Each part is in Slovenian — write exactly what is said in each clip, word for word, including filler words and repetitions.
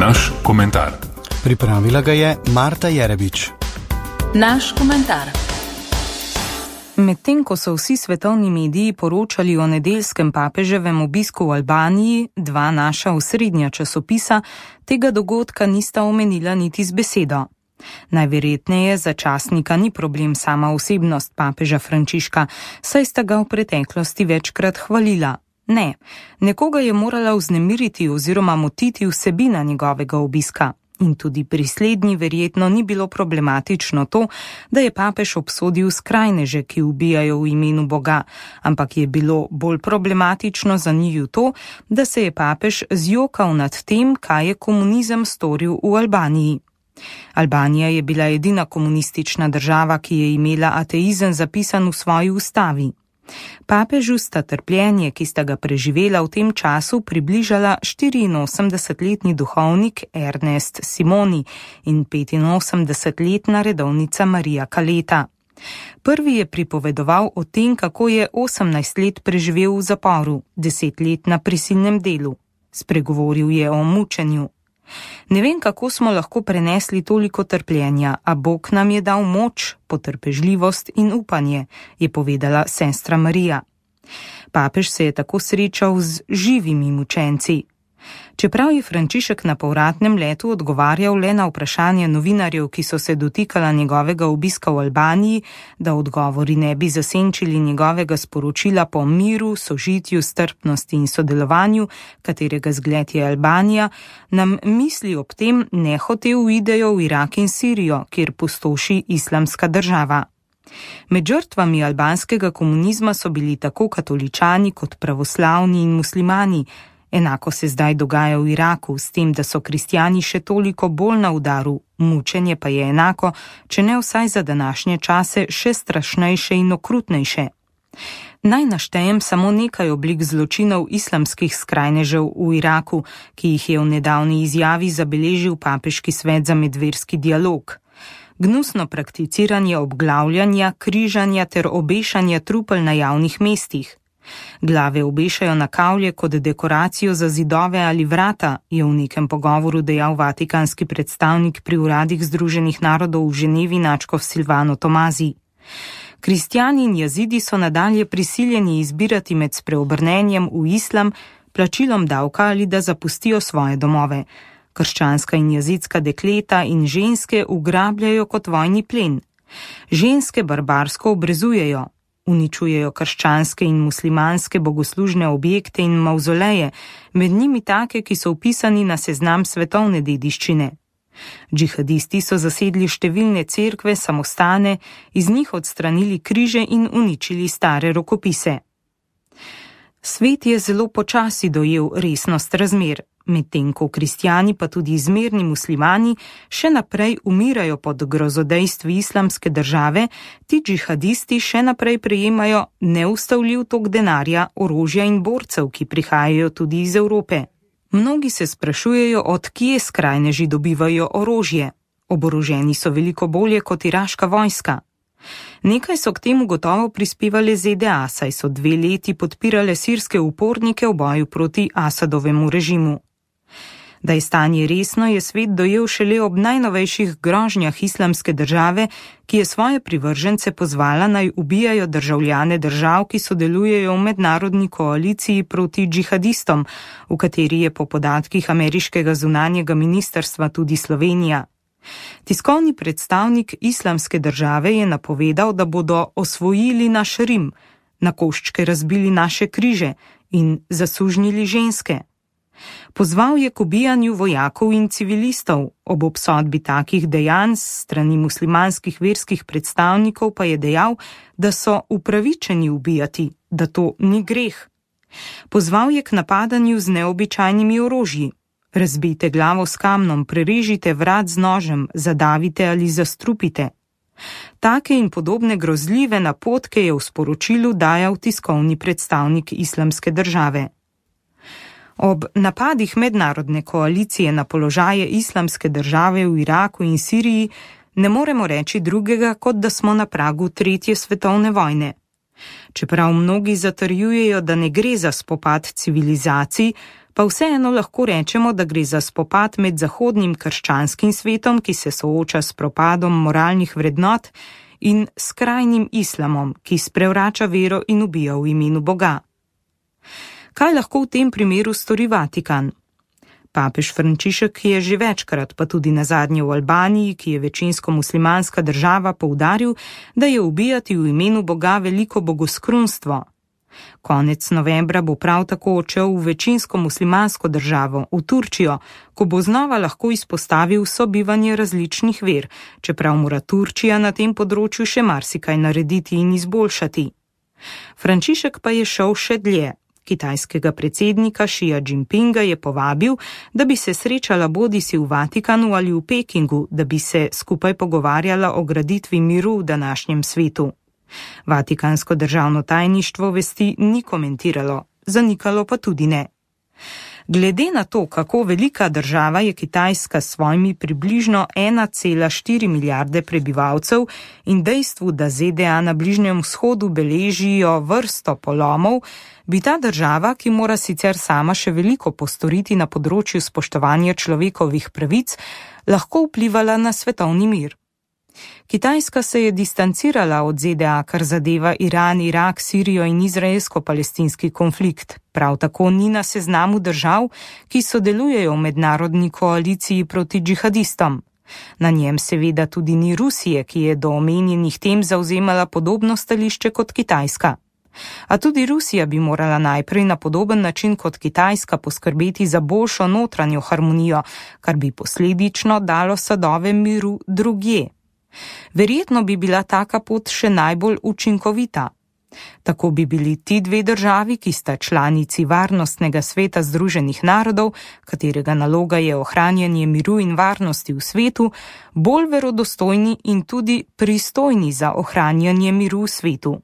Naš komentar. Pripravila ga je Marta Jerebič. Naš komentar. Medtem ko so vsi svetovni mediji poročali o nedeljskem papeževem obisku v Albaniji, dva naša osrednja časopisa tega dogodka nista omenila niti z besedo. Najverjetneje za časnika ni problem sama osebnost papeža Frančiška, saj sta ga v preteklosti večkrat hvalila. Ne, nekoga je morala vznemiriti oziroma motiti vsebina njegovega obiska. In tudi pri slednji verjetno ni bilo problematično to, da je papež obsodil skrajneže, ki ubijajo v imenu Boga, ampak je bilo bolj problematično za njiju to, da se je papež zjokal nad tem, kaj je komunizem storil v Albaniji. Albanija je bila edina komunistična država, ki je imela ateizem zapisan v svoji ustavi. Papežu sta trpljenje, ki sta ga preživela v tem času, približala štiriinosemdesetletni duhovnik Ernest Simoni in petinosemdesetletna redovnica Marija Kaleta. Prvi je pripovedoval o tem, kako je osemnajst let preživel v zaporu, deset let na prisilnem delu. Spregovoril je o mučenju. Ne vem, kako smo lahko prenesli toliko trpljenja, a Bog nam je dal moč, potrpežljivost in upanje, je povedala sestra Marija. Papež se je tako srečal z živimi mučenci. Čeprav je Frančišek na povratnem letu odgovarjal le na vprašanje novinarjev, ki so se dotikala njegovega obiska v Albaniji, da odgovori ne bi zasenčili njegovega sporočila po miru, sožitju, strpnosti in sodelovanju, katerega zgled je Albanija, nam misli ob tem nehote uidejo v Irak in Sirijo, kjer pustoši islamska država. Med žrtvami albanskega komunizma so bili tako katoličani kot pravoslavni in muslimani. Enako se zdaj dogaja v Iraku, s tem, da so kristjani še toliko bolj na udaru, mučenje pa je enako, če ne vsaj za današnje čase, še strašnejše in okrutnejše. Naj naštejem samo nekaj oblik zločinov islamskih skrajnežev v Iraku, ki jih je v nedavni izjavi zabeležil papeški svet za medverski dialog. Gnusno prakticiranje obglavljanja, križanja ter obešanja trupel na javnih mestih. Glave obešajo na kavlje kot dekoracijo za zidove ali vrata, je v nekem pogovoru dejal vatikanski predstavnik pri uradih Združenih narodov v Ženevi nadškof Silvano Tomazi. Kristjani in jazidi so nadalje prisiljeni izbirati med spreobrnenjem v islam, plačilom davka ali da zapustijo svoje domove. Krščanska in jazidska dekleta in ženske ugrabljajo kot vojni plen. Ženske barbarsko obrezujejo. Uničujejo krščanske in muslimanske bogoslužne objekte in mavzoleje, med njimi take, ki so vpisani na seznam svetovne dediščine. Džihadisti so zasedli številne cerkve, samostane, iz njih odstranili križe in uničili stare rokopise. Svet je zelo počasi dojel resnost razmer, medtem ko kristjani pa tudi izmerni muslimani še naprej umirajo pod grozodejstvi islamske države, ti džihadisti še naprej prejemajo neustavljiv tok denarja, orožja in borcev, ki prihajajo tudi iz Evrope. Mnogi se sprašujejo, od kje skrajneži dobivajo orožje. Oboroženi so veliko bolje kot iraška vojska. Nekaj so k temu gotovo prispevale Z D A, saj so dve leti podpirale sirske upornike v boju proti Asadovemu režimu. Da je stanje resno, je svet dojel šele ob najnovejših grožnjah islamske države, ki je svoje privržence pozvala naj ubijajo državljane držav, ki sodelujejo v mednarodni koaliciji proti džihadistom, v kateri je po podatkih ameriškega zunanjega ministrstva tudi Slovenija. Tiskovni predstavnik islamske države je napovedal, da bodo osvojili naš Rim, na koščke razbili naše križe in zasužnjili ženske. Pozval je k ubijanju vojakov in civilistov, ob obsodbi takih dejanj s strani muslimanskih verskih predstavnikov pa je dejal, da so upravičeni ubijati, da to ni greh. Pozval je k napadanju z neobičajnimi orožji. Razbijte glavo s kamnom, prerežite vrat z nožem, zadavite ali zastrupite. Take in podobne grozljive napotke je v sporočilu dajal tiskovni predstavnik islamske države. Ob napadih mednarodne koalicije na položaje islamske države v Iraku in Siriji ne moremo reči drugega, kot da smo na pragu tretje svetovne vojne. Čeprav mnogi zatrjujejo, da ne gre za spopad civilizacij, Pa vseeno lahko rečemo, da gre za spopad med zahodnim krščanskim svetom, ki se sooča s propadom moralnih vrednot, in skrajnim islamom, ki sprevrača vero in ubija v imenu Boga. Kaj lahko v tem primeru stori Vatikan? Papež Frančišek je že večkrat, pa tudi nazadnje v Albaniji, ki je večinsko muslimanska država, poudaril, da je ubijati v imenu Boga veliko bogoskrunstvo. Konec novembra bo prav tako odšel v večinsko muslimansko državo, v Turčijo, ko bo znova lahko izpostavil sobivanje različnih ver, čeprav mora Turčija na tem področju še marsikaj narediti in izboljšati. Frančišek pa je šel še dlje. Kitajskega predsednika Xija Jinpinga je povabil, da bi se srečala bodisi v Vatikanu ali v Pekingu, da bi se skupaj pogovarjala o graditvi miru v današnjem svetu. Vatikansko državno tajništvo vesti ni komentiralo, zanikalo pa tudi ne. Glede na to, kako velika država je Kitajska s svojimi približno ena cela štiri milijarde prebivalcev in dejstvu, da Z D A na Bližnjem vzhodu beležijo vrsto polomov, bi ta država, ki mora sicer sama še veliko postoriti na področju spoštovanja človekovih pravic, lahko vplivala na svetovni mir. Kitajska se je distancirala od Z D A, kar zadeva Iran, Irak, Sirijo in izraelsko-palestinski konflikt. Prav tako ni na seznamu držav, ki sodelujejo v mednarodni koaliciji proti džihadistom. Na njem seveda tudi ni Rusije, ki je do omenjenih tem zavzemala podobno stališče kot Kitajska. A tudi Rusija bi morala najprej na podoben način kot Kitajska poskrbeti za boljšo notranjo harmonijo, kar bi posledično dalo sadove miru drugje. Verjetno bi bila taka pot še najbolj učinkovita. Tako bi bili ti dve državi, ki sta članici Varnostnega sveta Združenih narodov, katerega naloga je ohranjanje miru in varnosti v svetu, bolj verodostojni in tudi pristojni za ohranjanje miru v svetu.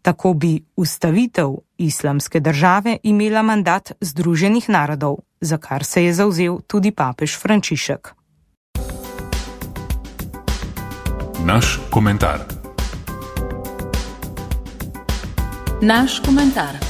Tako bi ustavitev islamske države imela mandat Združenih narodov, za kar se je zavzel tudi papež Frančišek. Naš komentar. Naš komentar.